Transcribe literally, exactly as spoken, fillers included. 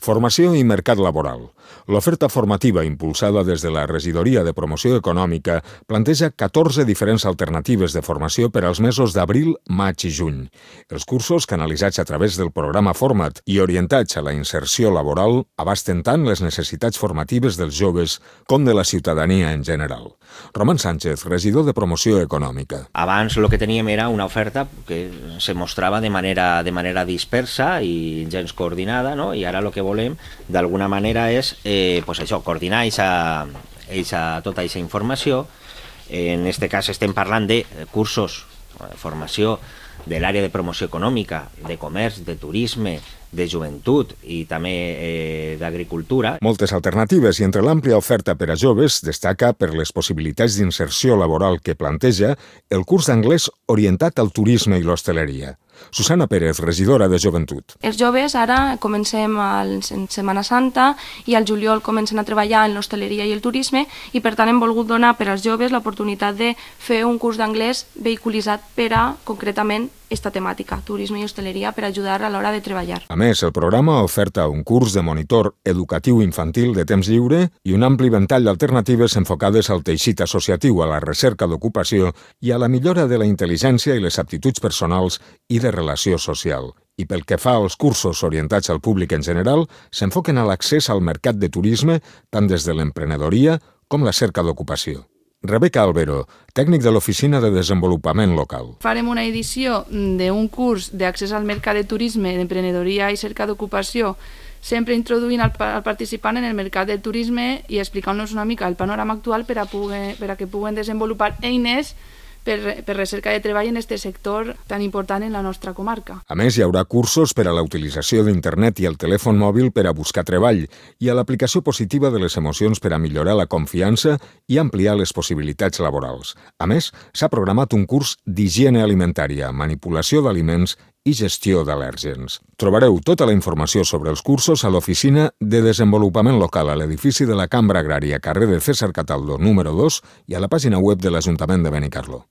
Formació i mercat laboral. L'oferta formativa impulsada des de la Regidoria de Promoció Econòmica planteja catorze diferents alternatives de formació per als mesos d'abril, maig i juny. Els cursos, canalitzats a través del programa Format i orientats a la inserció laboral, abasten tant les necessitats formatives dels joves com de la ciutadania en general. Roman Sánchez, regidor de Promoció Econòmica. Abans el que teníem era una oferta que se mostrava de manera, de manera dispersa i gens coordinada, no? I ara el que volem d'alguna manera és eh, pues això, coordinar eixa, eixa, tota aquesta informació. En aquest cas estem parlant de cursos, formació de l'àrea de promoció econòmica, de comerç, de turisme, de joventut i també eh, d'agricultura. Moltes alternatives i entre l'àmplia oferta per a joves destaca per les possibilitats d'inserció laboral que planteja el curs d'anglès orientat al turisme i l'hostaleria. Susana Pérez, regidora de Joventut. Els joves ara comencem en Setmana Santa i al juliol comencen a treballar en l'hostaleria i el turisme i per tant hem volgut donar per als joves l'oportunitat de fer un curs d'anglès vehiculitzat per a, concretament, esta temàtica, turisme i hostaleria, per ajudar a l'hora de treballar. A més, el programa oferta un curs de monitor educatiu infantil de temps lliure i un ampli ventall d'alternatives enfocades al teixit associatiu, a la recerca d'ocupació i a la millora de la intel·ligència i les aptituds personals i de relació social. I pel que fa als cursos orientats al públic en general, s'enfoquen a l'accés al mercat de turisme tant des de l'emprenedoria com la cerca d'ocupació. Rebeca Albero, tècnic de l'Oficina de Desenvolupament Local. Farem una edició d'un curs d'accés al mercat de turisme, d'emprenedoria i cerca d'ocupació, sempre introduint al participant en el mercat del turisme i explicant-nos una mica el panorama actual per a, poder, per a que puguen desenvolupar eines per, per recerca de treball en aquest sector tan important en la nostra comarca. A més, hi haurà cursos per a la utilització d'internet i el telèfon mòbil per a buscar treball i a l'aplicació positiva de les emocions per a millorar la confiança i ampliar les possibilitats laborals. A més, s'ha programat un curs d'higiene alimentària, manipulació d'aliments i gestió d'al·lèrgens. Trobareu tota la informació sobre els cursos a l'Oficina de Desenvolupament Local a l'edifici de la Cambra Agrària, carrer de César Cataldo, número dos, i a la pàgina web de l'Ajuntament de Benicarló.